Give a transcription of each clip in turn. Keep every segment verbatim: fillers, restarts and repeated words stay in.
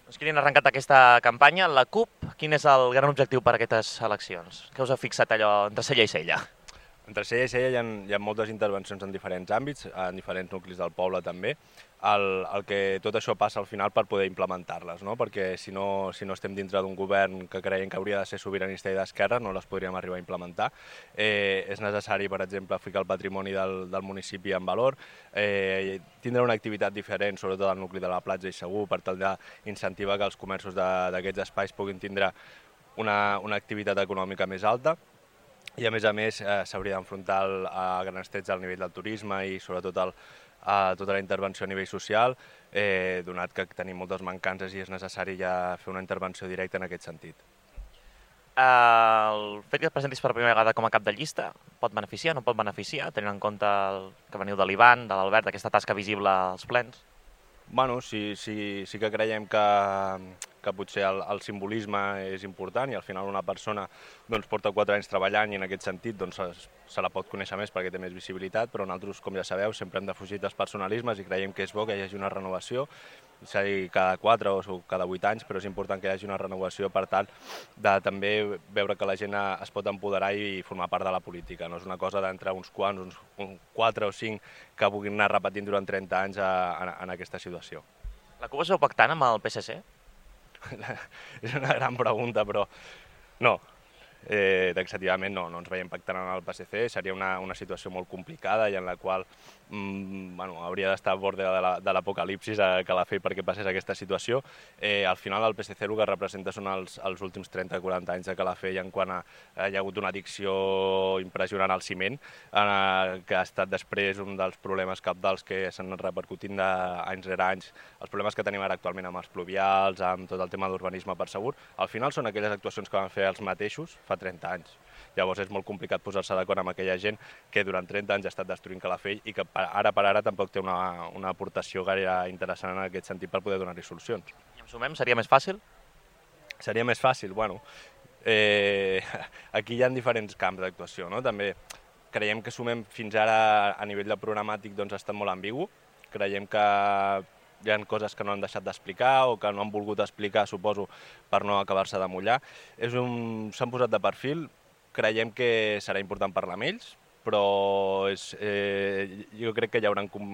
Doncs Kilian, ha arrencat aquesta campanya. La CUP, quin és el gran objectiu per a aquestes eleccions? Què us ha fixat allò entre cella i cella? Entre cella i cella hi ha, hi ha moltes intervencions en diferents àmbits, en diferents nuclis del poble també. El, el que tot això passa al final per poder implementar-les, no? Perquè si no, si no estem dintre d'un govern que creiem que hauria de ser sobiranista i d'esquerra, no les podríem arribar a implementar. Eh, és necessari, per exemple, ficar el patrimoni del, del municipi en valor, eh, tindre una activitat diferent, sobretot al nucli de la platja i segur, per tal d'incentivar que els comerços d'aquests espais puguin tindre una, una activitat econòmica més alta. I a més a més eh, s'hauria d'enfrontar a grans trets al nivell del turisme i sobretot el, a tota la intervenció a nivell social, eh, donat que tenim moltes mancances i és necessari ja fer una intervenció directa en aquest sentit. El fet que et presentis per primera vegada com a cap de llista pot beneficiar, no pot beneficiar, tenint en compte el que veniu de l'Ivan, de l'Albert, d'aquesta tasca visible als plens? Bueno, sí, sí, sí que creiem que, que potser el, el simbolisme és important i al final una persona doncs, porta quatre anys treballant i en aquest sentit doncs, se, se la pot conèixer més perquè té més visibilitat, però nosaltres, com ja sabeu, sempre hem defugit dels personalismes i creiem que és bo que hi hagi una renovació, sigui cada quatre o cada vuit anys, però és important que hi hagi una renovació per tal de també veure que la gent es pot empoderar i formar part de la política. No és una cosa d'entre uns quants, uns, uns quatre o cinc que puguin anar repetint durant trenta anys a, a, en aquesta situació. La CUP es veu pactant amb el P S C? És una gran pregunta, però no. Eh, taxativament no, no ens veiem pactant amb el P S C, seria una, una situació molt complicada i en la qual mm, bueno, hauria d'estar a bord de l'apocalipsis a Calafell perquè passés aquesta situació. Eh, al final el P S C el que representa són els, els últims trenta o quaranta anys de Calafell en quant a, a hi ha hagut una addicció impressionant al ciment, eh, que ha estat després un dels problemes cabdals que s'han repercutint d'anys rere anys, els problemes que tenim ara actualment amb els pluvials, amb tot el tema d'urbanisme per segur, al final són aquelles actuacions que van fer els mateixos fa trenta anys. Llavors és molt complicat posar-se d'acord amb aquella gent que durant trenta anys ha estat destruint Calafell i que ara per ara tampoc té una, una aportació gaire interessant en aquest sentit per poder donar-hi solucions. I em sumem, seria més fàcil? Seria més fàcil? Bueno, eh, aquí hi ha diferents camps d'actuació, no? També creiem que sumem fins ara a nivell de programàtic doncs ha estat molt ambigu. Creiem que hi ha coses que no han deixat d'explicar o que no han volgut explicar, suposo, per no acabar-se de mullar. S'han posat de perfil, creiem que serà important parlar amb ells, però és, eh, jo crec que hi haurà com,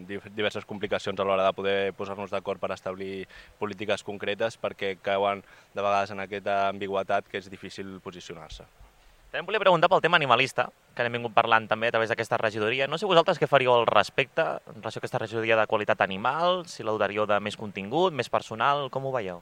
diverses complicacions a l'hora de poder posar-nos d'acord per establir polítiques concretes perquè cauen de vegades en aquesta ambigüitat que és difícil posicionar-se. També em volia preguntar pel tema animalista, que n'hem vingut parlant també a través d'aquesta regidoria. No sé vosaltres què faríeu al respecte en relació a aquesta regidoria de qualitat animal, si la dotaríeu de més contingut, més personal, com ho veieu?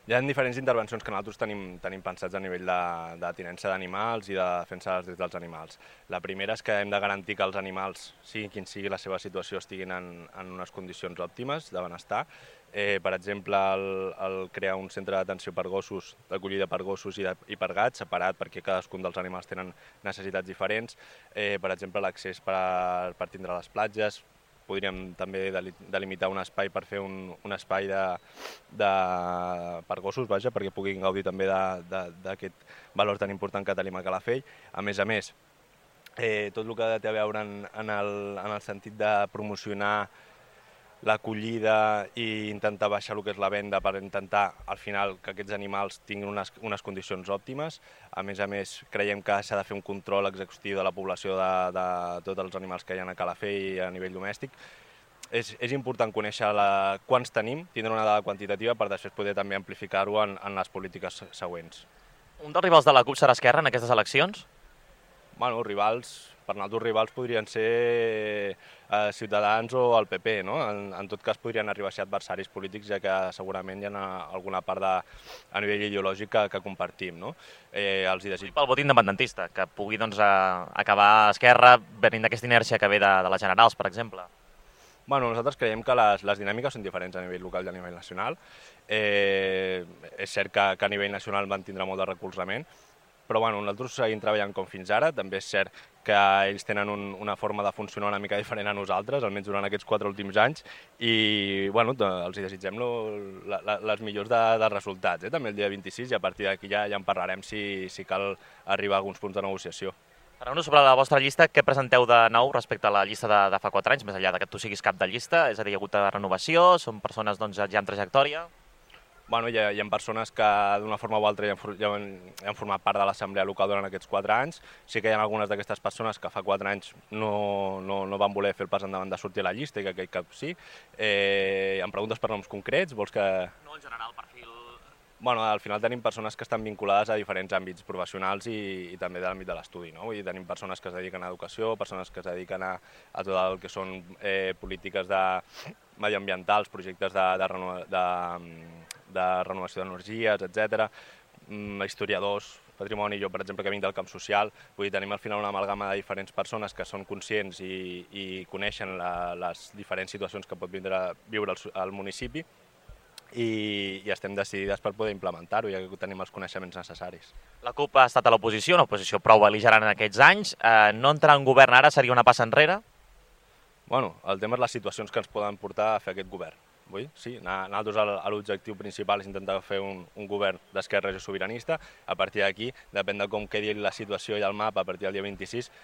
Hi ha diferents intervencions que nosaltres tenim, tenim pensats a nivell de, de tinença d'animals i de defensa dels drets dels animals. La primera és que hem de garantir que els animals, sigui quin sigui la seva situació, estiguin en, en unes condicions òptimes de benestar. Eh, per exemple, el, el crear un centre d'atenció per gossos, d'acollida per gossos i, de, i per gats, separat perquè cadascun dels animals tenen necessitats diferents. Eh, per exemple, l'accés per, per tindre les platges. Podríem també delimitar un espai per fer un, un espai de, de, per gossos, vaja, perquè puguin gaudir també d'aquest valor tan important que tenim a Calafell. A més a més, eh, tot el que té a veure en, en, el, en el sentit de promocionar l'acollida i intentar baixar el que és la venda per intentar, al final, que aquests animals tinguin unes, unes condicions òptimes. A més a més, creiem que s'ha de fer un control exhaustiu de la població de, de tots els animals que hi ha a Calafell a nivell domèstic. És, és important conèixer la, quants tenim, tindre una dada quantitativa per després poder també amplificar-ho en, en les polítiques següents. Un dels rivals de la CUP serà Esquerra en aquestes eleccions? Bueno, rivals, per nosaltres rivals podrien ser eh, Ciutadans o el P P, no? En, en tot cas podrien arribar a ser adversaris polítics, ja que segurament hi ha alguna part de, a nivell ideològic que, que compartim, no? Eh, els hi desig... Pel vot independentista, que pugui doncs, a, acabar Esquerra venint d'aquesta inèrcia que ve de, de les generals, per exemple. Bueno, nosaltres creiem que les, les dinàmiques són diferents a nivell local i a nivell nacional. Eh, és cert que, que a nivell nacional van tindre molt de recolzament, però bueno, nosaltres seguim treballant com fins ara. També és cert que ells tenen un, una forma de funcionar una mica diferent a nosaltres, almenys durant aquests quatre últims anys, i bueno, els hi desitgem lo, la, la, les millors de, dels resultats, eh? També el dia vint-i-sis, i a partir d'aquí ja, ja en parlarem si, si cal arribar a alguns punts de negociació. Parleu-nos sobre la vostra llista, què presenteu de nou respecte a la llista de, de fa quatre anys, més enllà de que tu siguis cap de llista? És a dir, hi ha hagut de renovació, són persones doncs, ja amb trajectòria? Bueno, hi ha, hi ha persones que d'una forma o altra ja han, for- ja han, ja han format part de l'assemblea local durant aquests quatre anys. Sí que hi ha algunes d'aquestes persones que fa quatre anys no, no, no van voler fer el pas endavant de sortir a la llista i que aquest cap sí. Eh, em preguntes per noms concrets? Vols que... No, en general, perfil... Bueno, al final tenim persones que estan vinculades a diferents àmbits professionals i, i també de l'àmbit de l'estudi, no? Vull dir, tenim persones que es dediquen a educació, persones que es dediquen a, a tot el que són eh, polítiques de mediambientals, projectes de, de, renova, de, de renovació d'energies, etcètera, mm, historiadors, patrimoni, jo per exemple que vinc del camp social, vull dir, tenim al final una amalgama de diferents persones que són conscients i, i coneixen la, les diferents situacions que pot vindre, viure el, el municipi, i, i estem decidides per poder implementar-ho, ja que tenim els coneixements necessaris. La CUP ha estat a l'oposició, una oposició prou bel·ligerant en aquests anys. Eh, no entrar en govern ara seria una passa enrere? Bueno, el tema és les situacions que ens poden portar a fer aquest govern. Vull? Sí, nosaltres l'objectiu principal és intentar fer un, un govern d'esquerra i sobiranista. A partir d'aquí, depèn de com quedi la situació i el mapa a partir del dia vint-i-sis,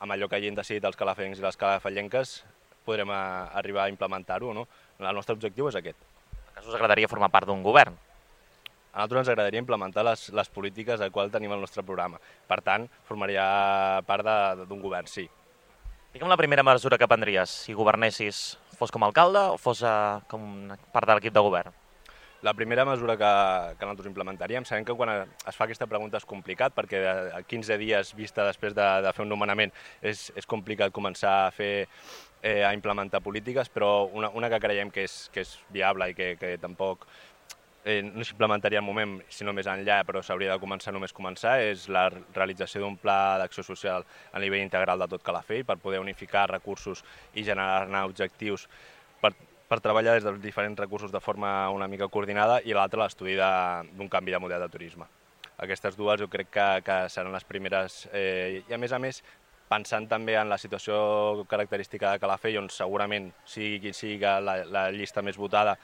amb allò que hagin decidit els calafencs i les calafallenques, podrem a, arribar a implementar-ho o no. El nostre objectiu és aquest. Que us agradaria formar part d'un govern? A nosaltres ens agradaria implementar les, les polítiques de qual tenim el nostre programa. Per tant, formaria part d'un govern, sí. Digue'm la primera mesura que prendries si governessis, fos com a alcalde o fos uh, com part de l'equip de govern? La primera mesura que, que nosaltres implementaríem, sabem que quan es fa aquesta pregunta és complicat, perquè a quinze dies vista després de, de fer un nomenament és, és complicat començar a fer eh, a implementar polítiques, però una, una que creiem que és, que és viable i que, que tampoc eh, no s'implementaria al moment, sinó més enllà, però s'hauria de començar només començar, és la realització d'un pla d'acció social a nivell integral de tot Calafell per poder unificar recursos i generar-ne objectius per, per treballar des dels diferents recursos de forma una mica coordinada, i l'altre l'estudi d'un canvi de model de turisme. Aquestes dues jo crec que, que seran les primeres, eh, i a més a més pensant també en la situació característica de Calafell, on segurament sigui qui sigui la, la llista més votada,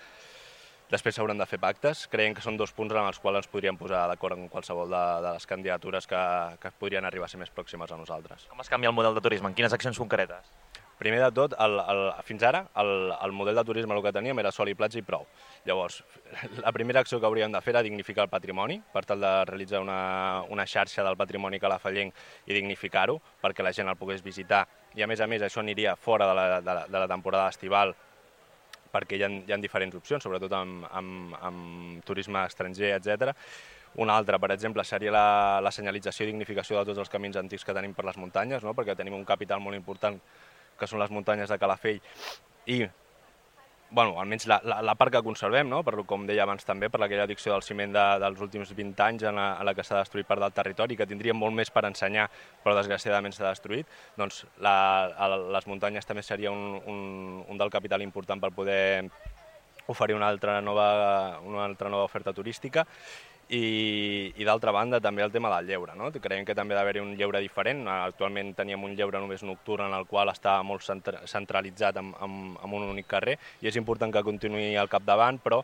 després s'hauran de fer pactes. Creiem que són dos punts en els quals ens podríem posar d'acord en qualsevol de, de les candidatures que, que podrien arribar a ser més pròximes a nosaltres. Com es canvia el model de turisme? En quines accions concretes? Primer de tot, el, el, fins ara, el, el model de turisme el que teníem era sol i platja i prou. Llavors, la primera acció que hauríem de fer era dignificar el patrimoni, per tal de realitzar una, una xarxa del patrimoni calafallenc i dignificar-ho, perquè la gent el pogués visitar. I a més a més això aniria fora de la, de la, de la temporada estival, perquè hi ha, hi ha diferents opcions, sobretot amb, amb, amb turisme estranger, etcètera. Una altra, per exemple, seria la, la senyalització i dignificació de tots els camins antics que tenim per les muntanyes, no? Perquè tenim un capital molt important que són les muntanyes de Calafell, i bueno, almenys la, la, la part que conservem, no? Per, com deia abans també, per aquella addicció del ciment de, dels últims vint anys en la, en la que s'ha destruït part del territori, que tindríem molt més per ensenyar, però desgraciadament s'ha destruït, doncs la, a, les muntanyes també seria un, un, un del capital important per poder oferir una altra nova, una altra nova oferta turística. I, i d'altra banda també el tema del lleure, no? Creiem que també ha d'haver-hi un lleure diferent. Actualment teníem un lleure només nocturn en el qual està molt centralitzat en, en, en un únic carrer, i és important que continuï al capdavant, però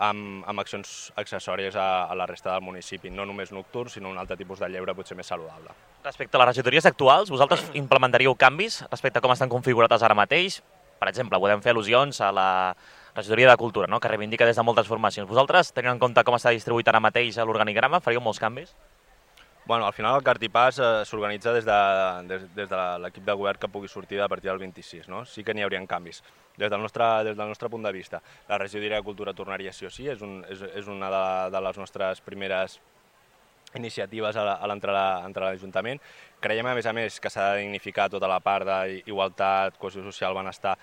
amb, amb accions accessòries a, a la resta del municipi, no només nocturn, sinó un altre tipus de lleure potser més saludable. Respecte a les regidories actuals, vosaltres implementaríeu canvis respecte a com estan configurades ara mateix? Per exemple, podem fer al·lusions a la regidoria de Cultura, no? Que reivindica des de moltes formacions. Vosaltres, tenint en compte com està distribuït ara mateix l'organigrama, faríeu molts canvis? Bueno, al final el Cartipàs eh, s'organitza des de, des, des de l'equip de govern que pugui sortir a partir del vint-i-sis, no? Sí que n'hi haurien canvis. Des del, nostre, des del nostre punt de vista, la regidoria de Cultura tornaria sí o sí, és, un, és, és una de, de les nostres primeres iniciatives a l'Ajuntament. Creiem, a més a més, que s'ha de dignificar tota la part d'igualtat, cohesió social, benestar,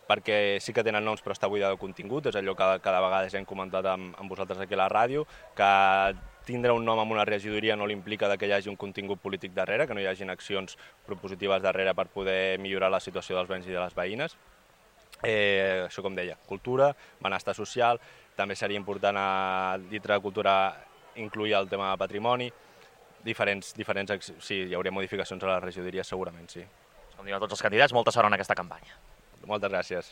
perquè sí que tenen noms però està buida de contingut, és allò que cada vegada ja hem comentat amb, amb vosaltres aquí a la ràdio, que tindre un nom en una regidoria no l'implica que hi hagi un contingut polític darrere, que no hi hagin accions propositives darrere per poder millorar la situació dels veïns i de les veïnes. Eh, això com deia, cultura, benestar social, també seria important a dintre de cultura incluir el tema de patrimoni, diferents, diferents, sí, hi hauria modificacions a les regidories segurament, sí. Com diuen tots els candidats, molta sort en aquesta campanya. Moltes gràcies.